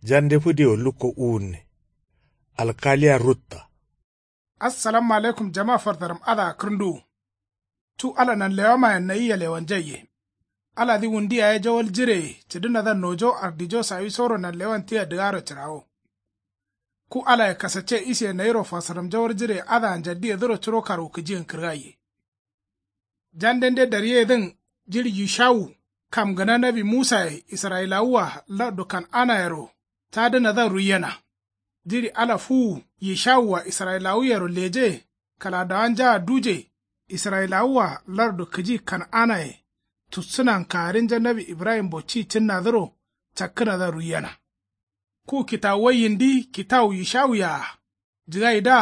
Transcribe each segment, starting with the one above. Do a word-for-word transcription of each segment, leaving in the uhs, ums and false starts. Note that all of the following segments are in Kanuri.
Jande fǝdiwo lukko uwunne. Alkaliya rutta. Assalamu alaikum jama fartaram adǝa kǝrnduwu. Cu ala nanlewamayen nayia lewanjaiye. Aladǝ wundi yaye jawal jireye cǝdǝnadǝa nojo ardijo sawisoro nanlewan tia dǝgaro cǝrawo. Ku alaye kasacce isiye nayiro farsaram jawal jireye adǝa njaddiyedǝro curo karwukǝjiyen kǝrgaiye. Jandende daryeyedǝn jiɍi yushawu kam gǝna nawi musaye israyilawua lardu kan'anayero tadǝnadǝa ruiyena. Jiɍi ala fuwu yishawua israyilawuyero leje kǝladawanjaa duje israyilawua lardu kǝji kan'anaye tussǝnan kaarinja nawi ibrahimbo ci cǝnnadǝro cakkǝnadǝa ruiyena. Ku kitawuwa yindi kitawu yishawuyea jǝgaidǝa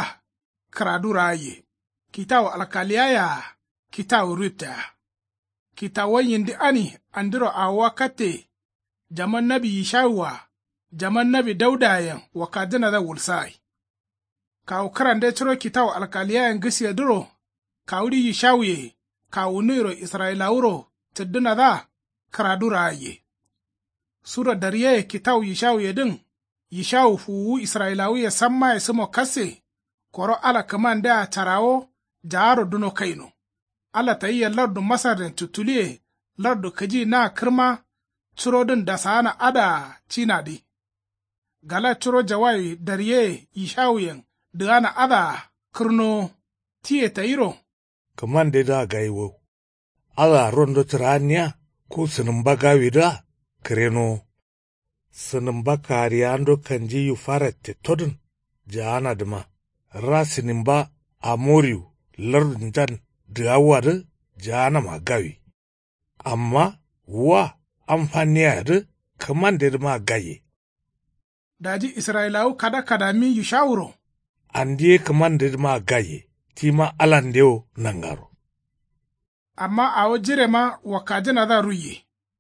kǝradu raaiye. Kitawu alkaliyayea kitawu ruttea. Kitawuwa yindi ani andiro awowa katte. Jaman nawi yishawua jaman nawi daudayen wakkajǝnadǝa wulsagai. Kawu kǝrande curo kitawu alkaliyayen gǝsiyedǝro kawuɍi yishawuye kawunuwiro israyilawuro cǝddǝnadǝa kǝradu raaiye. Sura daryeye kitawu yishawuyedǝn yishawu fuwuwu israyilawuye sammaye sǝmo kasse. Koro ala kǝmandea carawo jaaro duno kaino. Ala tayia lardu masarren cuttuliye lardu kǝji na kǝrma curodǝn dasaana adǝa cinadǝ. Gala curo jawayi daryeye yishawuyen dǝgana adǝa kǝrnowo. Tiye tayiro. Kǝmandedǝa gaiwo. Adǝa rondo cǝraanniya ku sǝnǝmba gawidǝa kǝrenowo. Sǝnǝmba kariyando kanji yufara tettodǝn jaanadǝma ra sǝnǝmba amoriwu lardunjan dǝgawuwadǝ jaanama gawi. Amma wa am fanniyayedǝ kǝmandedǝmaa gaiye. Daji israyilawu kada kadami yushawuro. Andi ye kǝmandedǝmaa gaiye tima alandewo nangaro. Amma awo jirema wakkajǝnadǝa ruiye.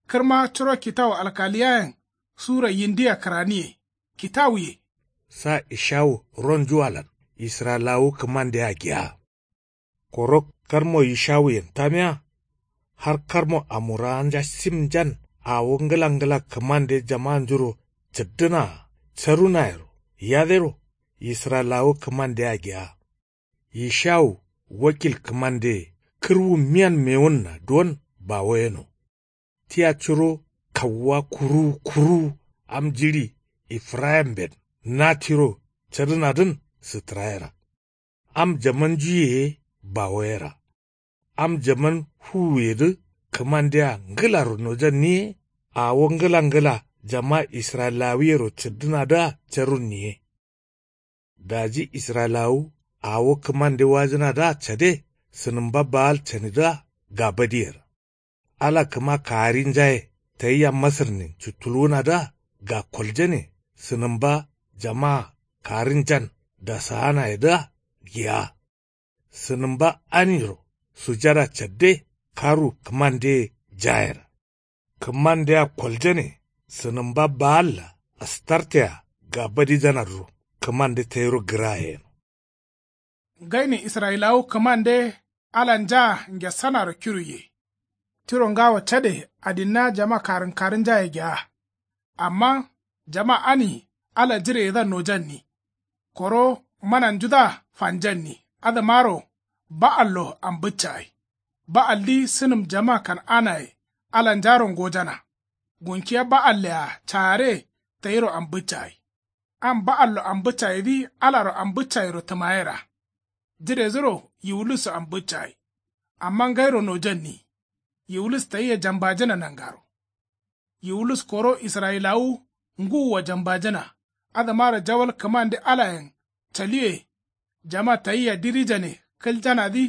Kǝrma curo kitawu alkaliyayen sura yindia kǝraniye. Kitawuye. Sa ishawu ronjuwalan israyilawu kǝmandea giya. Koro karmo yishawuyen tamiya. Har karmo amuraanja simjan awo ngǝla ngǝla kǝmande jamanjuro cǝddǝnaa carunayero yadero israyilawu kǝmandea giya. Yishawu wakil kǝmandeye kǝrwu miyan mewunna duwon bawo yeno. Tia curo kawuwa kuruwu kuruwu am jiɍi efrayimben na tiro cadǝnadǝn sǝtǝrayera. Am jamanjuye ye bawoyera. Am jaman fuwuyedǝ kǝmandea ngǝlaro nojanni ye awo ngǝla ngǝla jama israyilawuyero cǝddǝnadǝa carunni ye. Daji israyilawu awo kǝmande wajǝnadǝa cade sǝnǝmba baal canidǝa gabadiyera. Ala kǝma kaarinjaye tayia masǝrnin cuttulwunadǝa gakoljane sǝnǝmba jamaa kaarinjan dasaanayedǝa giya. Sǝnǝmba aniro sujada cadde karwu kǝmandeye jayera. Kǝmandea koljane sǝnǝmba baalla astartea gabadijanadǝro kǝmande tayiro gǝraye yeno. Ngainin israyilawu kǝmande alanja ngesanaro kiruiye. Tiro ngawo cade adinna jama karǝnkarǝnjaye gea. Amma jama ani ala jireyedǝa nojanni. Koro mananjudǝa fanjanni adǝmaro ba'allo ambǝccagai. Ba'aldǝ sǝnǝm jama kan'anaye alanjaro ngojana. Gunkiya ba'allea caare tayiro ambǝccagai. Am ba'allo ambǝccagaidǝ alaro ambǝccagairo tǝmayera. Jiredǝro yiwulusso ambǝccagai. Amma ngairo nojanni. Yiwulus tayia jambajǝna nangaro. Yiwulus koro israyilawu ngǝwua jambajǝna. Adǝmaro jawal kǝmande alayen caliwe. Jama tayia dirijane kǝljanadǝ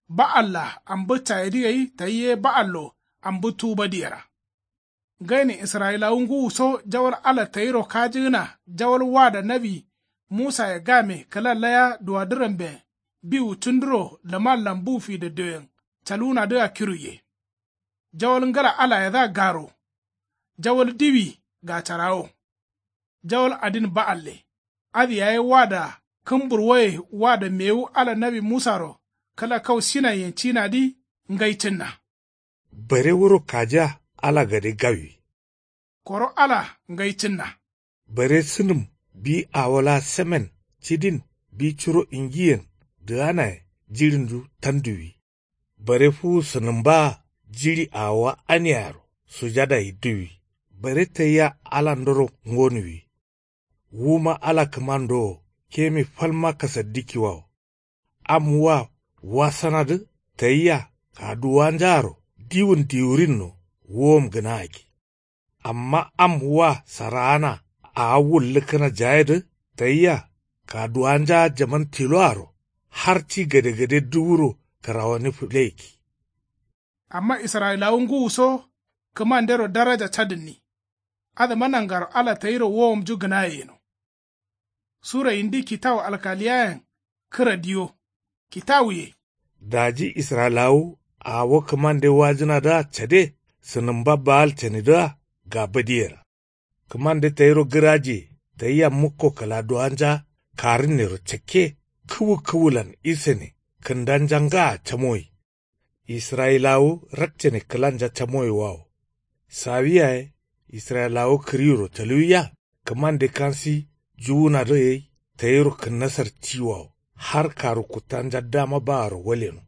ba'alla ambǝccagadǝ gai tayia ye ba'allo ambǝtubadǝyera. Ngainin israyilawu ngǝwuso jawal ala tayiro kajǝgǝna jawal wada nawi musaye game kǝla laya duwadǝramben biwu cunduro lǝmallan bu fidaddoyen calwunadǝa kiruiye. Jawal ngǝla alayedǝa garo. Jawal diwi gacarawo. Jawal adin ba'alle. Adǝ yaye wada kǝmburwoye wada mewu ala nawi musaro kǝla kau sinaiyen cinadǝ ngai cǝnna. Bare wuro kajiya ala gade gawi. Koro ala ngai cǝnna. Bare sǝnǝm bi awo laa semen cidin bi curo ingiyen dǝganaye jiɍindu tanduwi. Bare fuwu sǝnǝmbaa jiɍi awowa aniyaro sujada yiddǝwi. Bare tayia alandoro ngonuwi. Wuma ala kǝmando wo kemi falma kasaddikkiwawo. Am wa wasanadǝ tayia kaduwanjaaro diwun diwurinno wuwom gǝnagakki. Amma am wa saraana awo wullǝkkǝna jayedǝ tayia kaduwanja jaman tiloaro har ti gadegade duwuro kǝrawani fǝleyikki. Amma israyilawu ngǝwuso kǝmandero daraja cadǝnni. Adǝma nangaro ala tayiro wowomnju gǝnaye yeno. Sura indi kitawu alkaliyayen kǝra diyo kitawuye. Daji israyilawu awo kǝmande wajǝnadǝa cade sǝnǝmba baal canidǝa gabadiyera. Kǝmande tayiro gǝrajiye tayia mukko kǝladuwanja karǝnnero cakke kǝwu kǝwulan isane kǝndanja ngaa camoyi. Israyilawu rakcane kǝlanja camoyewawo. Sawi yaye israyilawu kǝriwuro caluwiya kǝmande kansi juwunadǝ gai tayiro kǝnnasar tiwawo har karu kuttanja dama baaro waleno.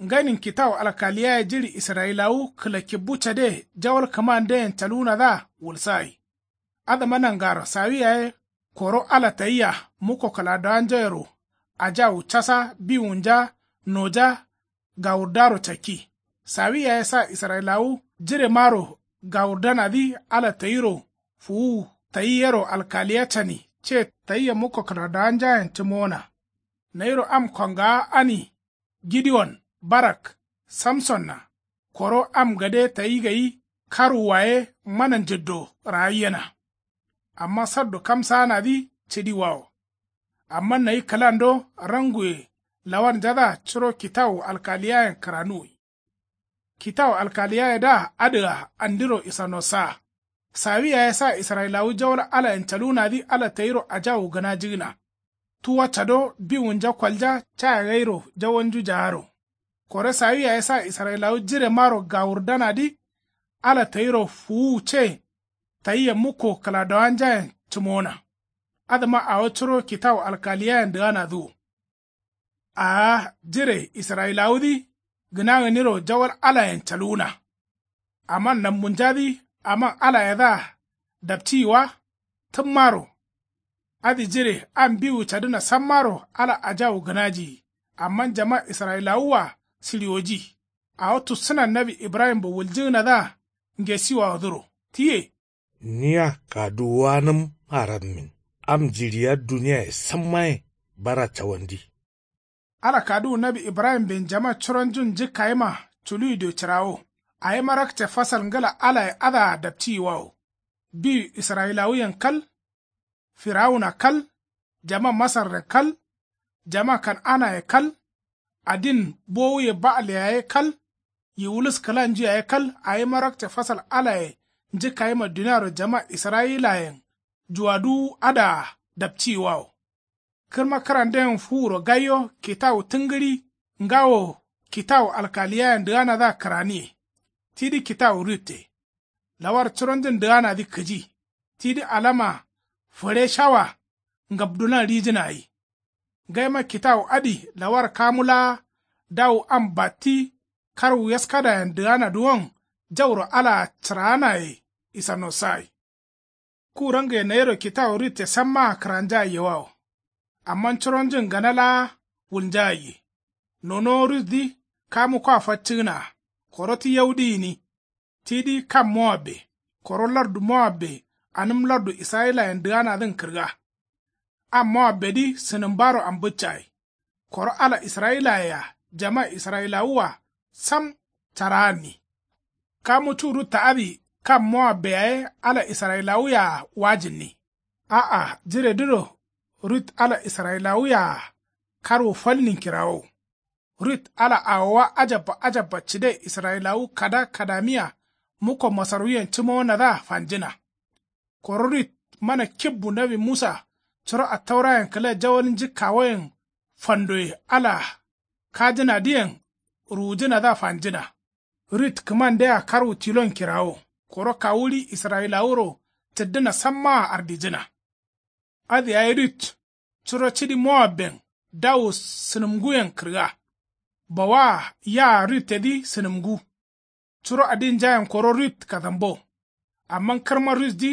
Nganin kitawu alkaliyaye jiɍi israyilawu kǝlakibbu cade jawal kǝmandeyen caluwunadǝa wulsagai. Adǝma nangaro sawi yaye koro ala tayia mukko kǝladowanjayero ajawu casa biwunja noja gawurdaro cakki. Sawi yaye sa israyilawu jiremaro gawurdanadǝ ala tayiro fuwuwu tayi yero alkaliya cani ce tayia mukko kǝladowanjayen cǝmowona. Nayiro am kongawa ani gideyon barak samsonna koro am gade tayi gai karwuwaye mana njǝddo ragaiyena. Amma saddo kamsaanadǝ cǝdiwawo. Amma nayi kǝlando ranguye lawarnjadǝa curo kitawu alkaliyayen kǝranuwi. Kitawu alkaliyayedǝa adǝa andiro isanossa. Sawi yaye sa israyilawu jawal alayen caluwunadǝ ala tayiro ajawu gǝnajigǝna. Tuwa cado biwunja kolja caya gairo jawalnju jaaro. Koro sawi yaye sa israyilawu jiremaro gawurdanadǝ ala tayiro fuwuwu ce tayia mukko kǝladowanjayen cǝmowona. Adǝma awo curo kitawu alkaliyayen dǝganadǝ wo. Aa jire israyilawudǝ gǝna gǝniro jawal alayen caluwuna. Amma nambunjadǝ aman alayedǝa dapciyi wa tǝmmaro. Adǝ jire am biwu cadǝna sammaro ala ajawu gǝnajiyi. Amma jama israyilawua sǝɍiwoji. Awo tussǝnan nawi ibrahimbo wuljǝgǝnadǝa ngesiwawodǝro tiye. Niya kaduwuwanǝm arammin am jiɍiya duniyaye sammaye bara cawandi. Ala kaduwu nawi ibrahimben jama curonjun njǝkkayima culuwido cǝrawo. Awima rakce fasal ngǝla alaye adǝa dapciyiwawo. Biwu israyilawuyen kal, firawuna kal, jama masarren kal, jama kan'anaye kal, adin bowuye ba'al yaye kal, yiwulus kǝlanju yaye kal awima rakce fasal alaye njǝkkayima duniaro jama israyilayen juwaduwu adǝa dapciyiwawo. Kǝrma kǝranden fuwuro gaiyo kitawu tǝngǝɍi ngawo kitawu alkaliyayen dǝganadǝa kǝraniye. Tidi kitawu rutte. Lawar curonjun dǝganadǝ kǝji. Tidi alama fǝɍe shawa ngabdulan ɍijǝna gai. Ngaima kitawu adǝ lawar kamu laa dawu am batti karwu yaskadayen dǝganadǝwon jauro alaa cǝraanaye isanosagai. Ku rangǝye nayiro kitawu rutte sammaa kǝranjagaiyewawo. Amma curonjun gana laa wulnjagaiye. Nonowo rutdǝ kamu kwa faccǝgǝnaa koro ti yaudǝ gǝni. Tidǝ kam mowabbe koro lardu mowabbe anǝm lardu israyilayen dǝganadǝn kǝrga. Am mowabbedǝ sǝnǝmbaro ambǝccagai. Koro ala israyilayea jama israyilawua sam caraanni. Kamu cu rutta adǝ kam mowabbe yaye ala israyilawuyea wajǝnni. A'a jiredǝro rut ala israyilawuyea karwu falnin kirawow. Rut ala awowa ajabba ajabba cǝde israyilawu kada kadamiya mukko masarwuyen cǝmowonadǝa fanjǝna. Koro rut mana kibbu nawi musa curo attaurayen kǝla jawal njǝkkawoyen fandoye ala kajǝnadǝyen ruwujǝnadǝa fanjǝna. Rut kǝmandea karwu tilon kirawo koro kawuɍi israyilawuro cǝddǝna sammaa ardijǝna. Adǝ yayi rut curo cidi mowabben dawu sǝnǝmnguyen kǝrga. Bawaa yaa ruttedǝ sǝnǝmngu. Curo adinjayen koro rut kadambo. Amma kǝrma rutdǝ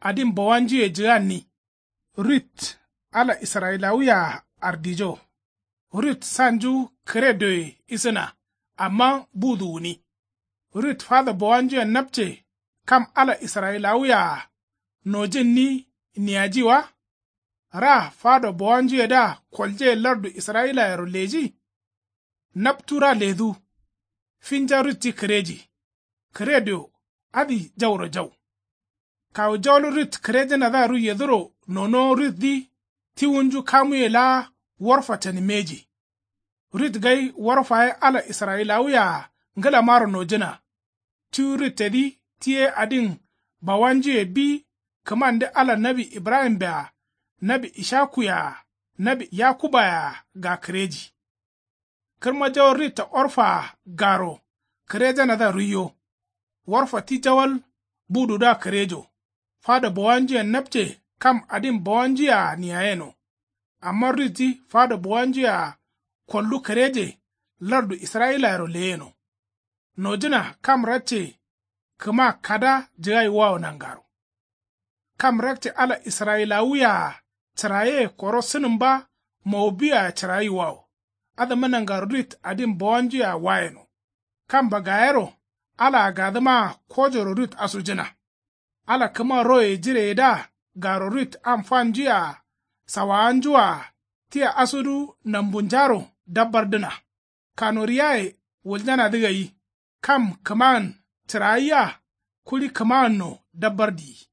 adin bawanjuye jǝganni. Rut ala israyilawuye-a ardijo. Rut sanju kǝredoye isǝna. Amma budu gǝni. Rut fado bawanjuyen napce kam ala israyilawuye-a nojǝnni niyaji wa? Ra fado bawanjuyedǝa kolje lardu israyilayero leji. Naptu ra ledu. Finja rutdǝ kǝreji. Kǝredo adǝ jauro jau. Kawu jawal rut kǝrejǝnadǝa ruiyedǝro nonowo rutdǝ tiwunju kamuye laa warfa canimmeji. Rut gai warfa ye ala israyilawuye-a ngǝlamaro nojǝna. Tiwu ruttedǝ ti ye adin bawanjuye bi kǝmande ala nawi ibrahimbe-a nawi ishakuye-a nawi yakubaye-a gakǝreji. Kǝrma jawo rutta orfa-a garo kǝrejanadǝa ruiyo. Orfa ti jawal bududǝa kǝrejo. Fado bawanjuyen napce kam adin bawanjuye-a niyayeno. Amma rutdǝ fado bawanjuye-a koldu kǝreje lardu israyilayero leyeno. Nojǝna kam rakce kǝma kada jǝgayiwawo nangaro. Kam rakce ala israyilawuye-a cǝraye koro sǝnǝmba mowobbiye-a cǝrayiwawo. Adǝma nangaro rut adin bawanjuye-a wayeno. Kam bagayero ala gadǝmaa kojoro rut asujǝna. Ala kǝma roye jireyedǝa garo rut am fanju-a sawawanju-a tia asudu nambunjaro dabbardǝna. Kanoriyaye wuljanadǝ gai kam kǝman cǝrayiya kuɍi kǝmanno dabbar diyi.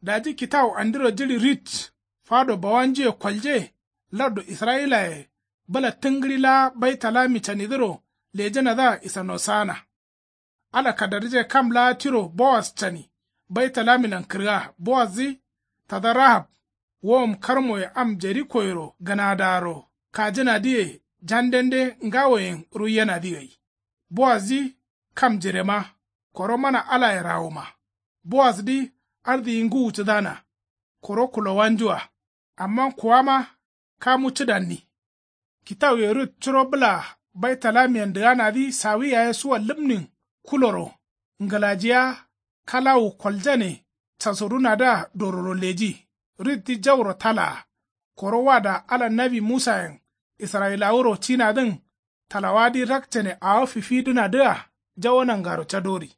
Daji kitawu andiro jiɍi rit fado bawanjuye kolje lardu israyilaye bǝla tǝngǝɍi laa baitalami canidǝro lejǝnadǝa isano saana. Ala kadarije kam laa tiro bowas cani baitalamilan kǝrga. Bowassǝ tada rahab wowom karmoye am jerikoyero gǝnadaro kajǝnadǝye jandende ngawoyen ruiyenadǝ gai. Bowassǝ kam jirema koro mana alaye rawoma. Bowassǝdǝ ardiyi ngǝwu cǝdana koro kulowanju-a. Amma kuwama kamu cǝdanni. Kitawuye rut curo bǝla baitalamiyen dǝganadǝ sawi yaye suwa lǝmnin kuloro ngǝlajiya kalawu koljane casurunadǝa dororo leji. Ruttǝ jauro talaa koro wada ala nawi musayen israyilawuro cinadǝn talawadǝ rakcane awo fifidǝnadǝa jawo nangaro cadori.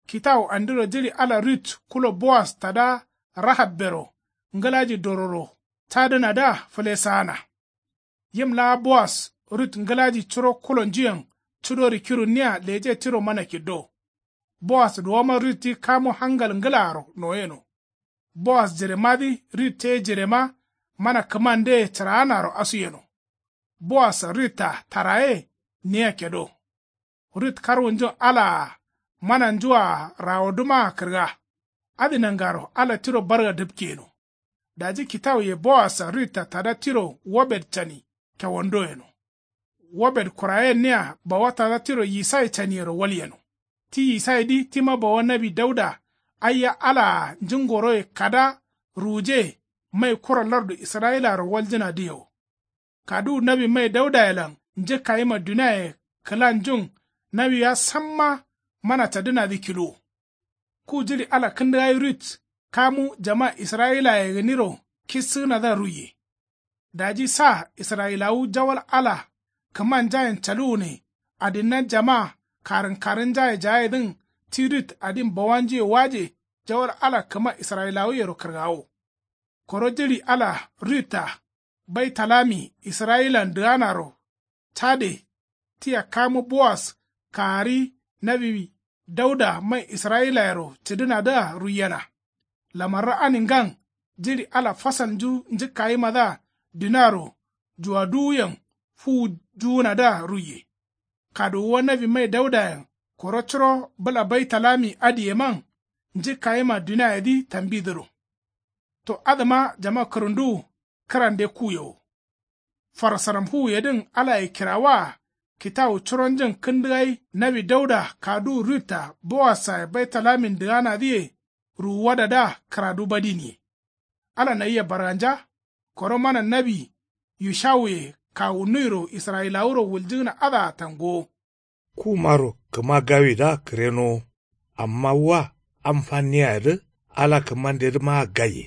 Kitawu andiro jiɍi ala rut kulo bowas tada rahabbero ngǝlaji dororo cadǝnadǝa fǝlesaana. Yim laa bowas rut ngǝlaji curo kulonjuyen cudori kirunniya leje tiro mana kiddo. Bowas duwoma ruttǝ kamu hangal ngǝlaaro noyeno. Bowas jiremadǝ rutte jirema mana kǝmandeye cǝraanaro asuyeno. Bowas rutta taraye niya kedo. Rut karwunjun alaa mananju-a rawodǝmaa kǝrga. Adǝ nangaro ala tiro barga dǝpkeyeno. Daji kitawuye bowassa rutta tada tiro wobed cani kewondo yeno. Wobed kurayenniya bawa tada tiro yisai caniyero walyeno. Ti yisaidǝ tima bawa nawi dauda aiya alaa njǝngoroye kada ruwuje mai kura lardu israyilayero waljǝnadǝyewo. Kaduwu nawi mai daudayelan njǝkkayima duniaye kǝlanjun nawiya samma mana cadǝnadǝ kiluwo. Ku jiɍi ala kǝndǝgai rut kamu jama israyilaye gǝniro kissǝgǝnadǝa ruiye. Daji sa israyilawu jawal ala kǝmanjayen caluwune adinnan jama karǝnkarǝnjaye jayedǝn ti rut adin bawanjuye waje jawal ala kǝma israyilawuyero kǝrgawo. Koro jiɍi ala rutta baitalami israyilan dǝganaro cade tia kamu bowas kaari nawi dauda mai israyilayero cǝdǝnadǝa ruiyena. Lamarra aningan jiɍi ala fasalnju njǝkkayimadǝa duniaro juwaduwuyen fuwu juwunadǝa ruiye. Kaduwuwa nawi mai daudayen koro curo bǝla baitalami adǝyeman njǝkkayima duniayedǝ tambidǝro. To adǝma jama kǝrǝnduwu kǝrande kuyewo. Farsaram fuwuyedǝn alaye kirawaa kitawu curonjǝn kǝndǝgai nawi dauda kaduwu rutta bowassaye baitalamin dǝganadǝye ruwuwadadǝa kǝradu badiniye. Ala nayia barganja. Koro mana nawi yushawuye kawunnuyiro israyilawuro wuljǝgǝna adǝa tangowo. Kumaro kǝma gawidǝa kǝrenowo. Amma wa am fanniyayedǝ ala kǝmandedǝmaa gaiye.